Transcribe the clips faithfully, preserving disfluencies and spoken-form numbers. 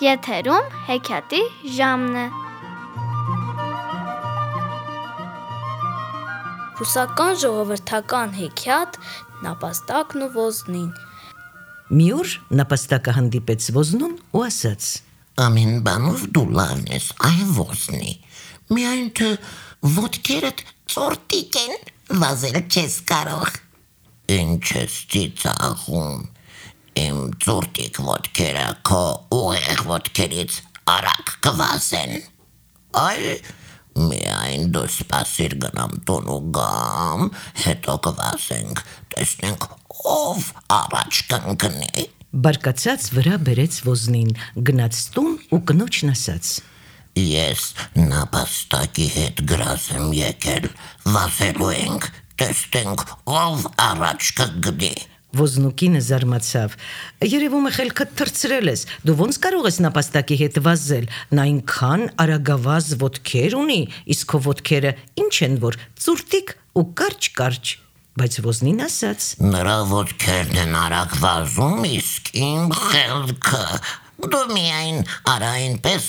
Եթերում հեքիաթի ժամն է։ Ռուսական ժողովրդական հեքիաթ Նապաստակն ու ոզնին։ Մի օր նապաստակը հանդիպեց ոզնուն ու ասաց. Ամեն բանով դու լավն ես, այ ոզնի, միայն թե ոտքերդ ծորտիկ են, վազել չես կարող։ Ինչ ես ծիծաղում, իմ ծորտիկ ոտքերը քո ուղեղ ոտքերից արագ կվազեն։ Այ միայն դու սպասիր գնամ տուն ու գամ, հետո կվազենք, տեսնենք ով առաջ կընկնի։ Բարկացած վրա բերեց ոզնին, գնաց տուն ու կնոջն ասաց. Ես նապաստակի հետ գրազ եմ եկել, վազելու ենք, տեսնենք ով առաջ կգնի։ Ոզնուկինը զարմացավ. երևում է խելքդ թռցրել ես, դու ոնց կարող ես նապաստակի հետ վազել, նա այնքան արագավազ ոտքեր ունի, իսկ քո ոտքերը ինչ են, որ ծուրտիկ ու կարճ-կարճ։ Բայց ոզնին ասաց. Նրա ոտքերն են արագ վազում, իսկ իմ խելքը, դու միայն արա այնպես,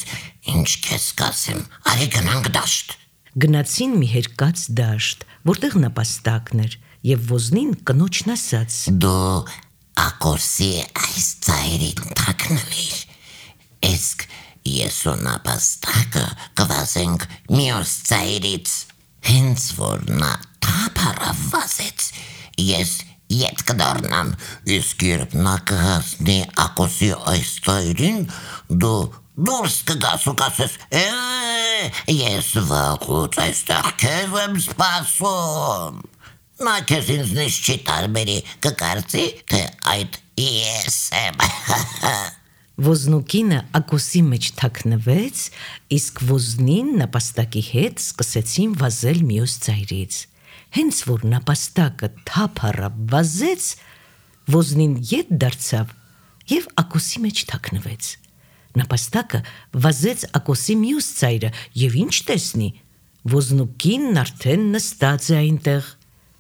ինչ քեզ կասեմ, արի գնանք դաշտ։ Գնացին մի հերկած դաշտ, որտեղ նապաստակն էր, և ոզնին կնոջն ասաց. Դու ակոսի այս ծայրին թաքնվիր, իսկ ես ու նապաստակը կվազենք մյուս ծայրից։ Հենց որ նա թափառավ վազեց, ես ետ կդառնամ, իսկ երբ նա կհասնի ակոսի այս ծայրին, դու դուրս կգաս ու կասես. «Է, ես վաղուց այստեղ քեզ եմ սպասում»։ Նա քեզ ինձնից չի տարբերի, կկարծի, թե այդ ես եմ։ Ոզնուկինը ակոսի մեջ թաքնվեց, իսկ ոզնին նապաստակի հետ սկսեցին վազել մյուս ծայրից։ Հենց որ նապաստակը թափառավ վազեց, ոզնին ետ դարձավ և ակոսի մեջ թաքնվեց։ Նապաստակը վազեց ակոսի մյուս ծայրը և ինչ տեսնի, ոզնուկինն արդեն նստած է այնտեղ։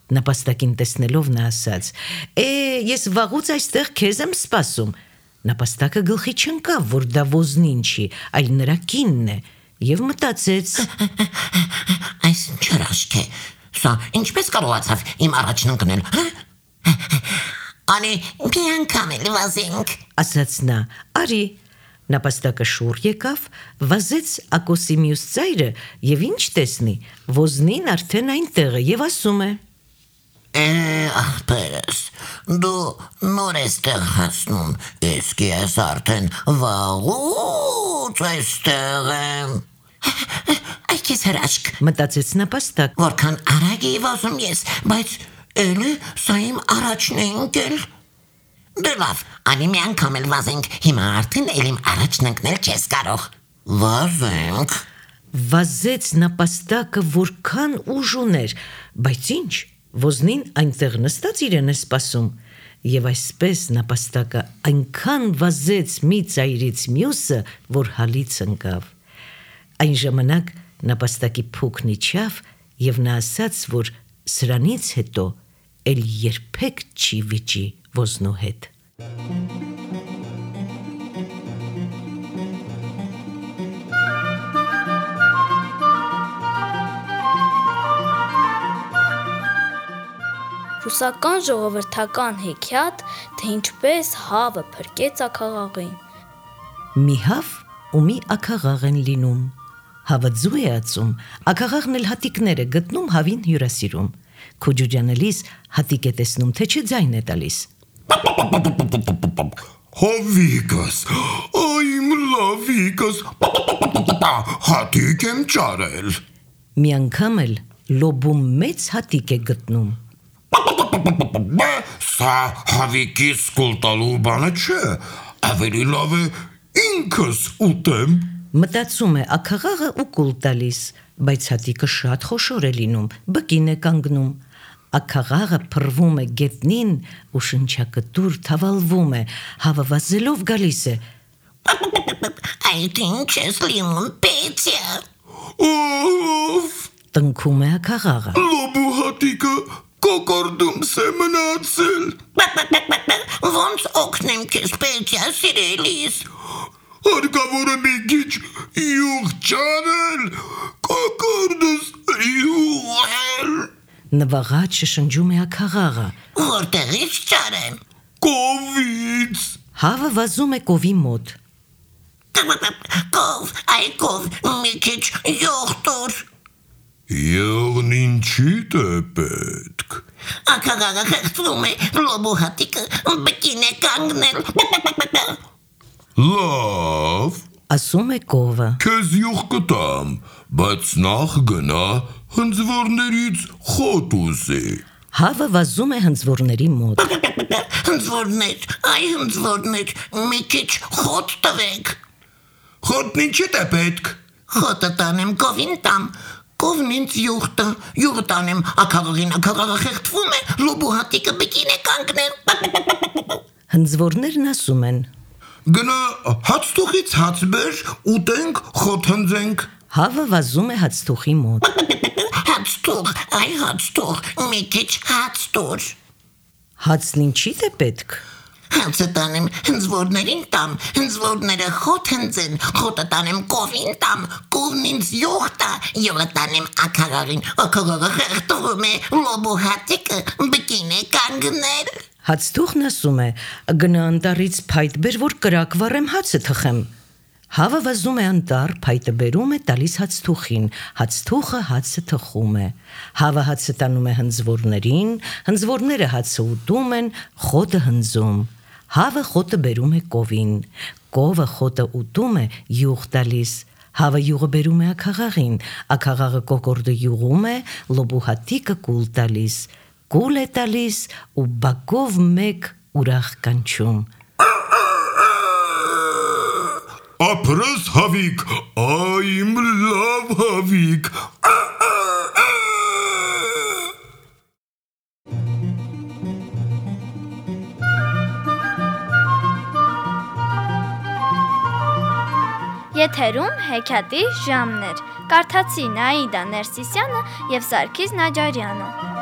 Նապաստակին տեսնելով նա ասաց. «Է, ես վաղուց այստեղ քեզ եմ սպասում»։ Նապաստակը գլխի չընկավ, որ դա ոզնին չի, այլ նրա կինն է, և մտածեց. Այս ինչ հրաշք է, սա ինչպես կարողացավ իմ առաջն ընկնել։ Արի մի անգամ էլ վազենք, ասաց նա. Արի։ Նապաստակը շուռ եկավ, վազեց ակոսի մյուս ծայրը և ինչ տեսնի, ոզնին արդեն այնտեղ է և ասում է. Է, ախպերս, դու նոր ես տեղ հասնում, իսկ ես արդեն վաղուց այստեղ եմ։ Այ քեզ հրաշք, մտածեց նապաստակ, որքան արագ էի վազում ես, բայց էլի սա իմ առաջն է ընկել։ Դե լավ, արի մի անգամ էլ վազենք, հիմա արդեն էլ իմ առաջն ընկնել չես կարող։ Վազենք։ Վազեց նապաստակը որքան ուժ ուներ, բայց ինչ, ոզնին այնտեղ նստած իրեն է սպասում, և այսպես նապաստակը այնքան վազեց մի ծայրից մյուսը, որ հալից ընկավ։ Այն ժամանակ նապաստակի փուքն իջավ և նա ասաց, որ սրանից հետո էլ երբեք չի վիճի ոզնու հետ։ Ռուսական ժողովրդական հեքիաթ, թե ինչպես հավը փրկեց աքաղաղին։ Մի հավ ու մի աքաղաղ են լինում։ Հավը ձու է ածում, աքաղաղն էլ հատիկներ է գտնում հավին հյուրասիրում։ Քոջուջանելիս հատիկ է տեսնում, թե չէ ձայն է տալիս։ Հավիկս, այմ լավիկս, հատիկ եմ ճարել։ Մի անգամ էլ լոբում մեծ հատիկ է գտնում։ Սա հավիկիս կուլ տալու բանը չէ, ավելի լավ է ինքս ուտեմ։ Մտածում է աքաղաղը ու կուլ տալիս, բայց հատիկը շատ խոշոր է լինում, բկին է կանգնում։ Աքաղաղը փռվում է գետնին ու շնչակտուր թավալվում է, հավը վազելով գալիս է։ Այդ ինչ ես լինում, Պետյա։ Ով, տնքում է աքաղաղը։ լոբու հատիկը կոկորդում սե մնացել։ Ոնց օգնեմ քեզ, Պետյա, սիրելիս։ Հարկավոր է մի քիչ յուղ ճարել, կոկորդս յուղել։ Նվաղած շշնջում է աքաղաղը։ Որտեղից ճարեմ։ Կովից։ Հավը վազում է կովի մոտ։ Կով, այ կով, մի քիչ յուղ տուր։ Եղն ինչիդ է պետք։ Աքաղաղը խեղդվում է, լոբու հատիկը բկին է կանգնել։ Լավ, Ասում է կովը։ քեզ յուղ կտամ, բայց նախ գնա հնձվորներից խոտ ուզի։ Հավը վազում է հնձվորների մոտ։ Հնձվորներ, այ հնձվորներ, մի քիչ խոտ տվեք։ Խոտն ինչիդ է պետք։ Խոտը տանեմ կովին տամ, կովն ինձ յուղ տա, յուղը տանեմ աքաղաղին, աքաղաղը խեղդվում է, լոբու հատիկը բկին է կանգնել։ Հնձվորներն ասում են։ Գնա հացթուխից հաց բեր, ուտենք, խոտ հնձենք։ Հավը վազում է հացթուխի մոտ։ Հաց տուր, այ հաց տուր, մի քիչ հաց տուր։ Հացն ինչիդ է պետք։ Հացը տանեմ հնձվորներին տամ, հնձվորները խոտ հնձեն, խոտը տանեմ կովին տամ, կովն ինձ յուղ տա, յուղը տանեմ աքաղաղին, աքաղաղը խեղդվում է, լոբու հատիկը բկին է կանգնել։ Հացթուխն ասում է. գնա անտառից փայտ բեր, որ կրակ վառեմ հացը թխեմ։ Հավը վազում է անտառ, փայտը բերում է, տալիս հացթուխին, հացթուխը հացը թխում է։ Հավը հացը տանում է հնձվորներին, հնձվորները հացը ուտում են, խոտը հնձում։ Հավը խոտը բերում է կովին, կովը խոտը ուտում է, յուղ տալիս։ Հավը յուղը բերում է աքաղաղին, աքաղաղը կոկորդը յուղում է, լոբու հատիկը կուլ տալիս, կուլ է տալիս ու բակով մեկ ուրախ կանչում։ Ապրես հավիկ, այ իմ լավ հավիկ։ Եթերում հեքիաթի ժամներ։ Կարդացի Նաիդա Ներսիսյանը եւ Սարգիս Նաջարյանը։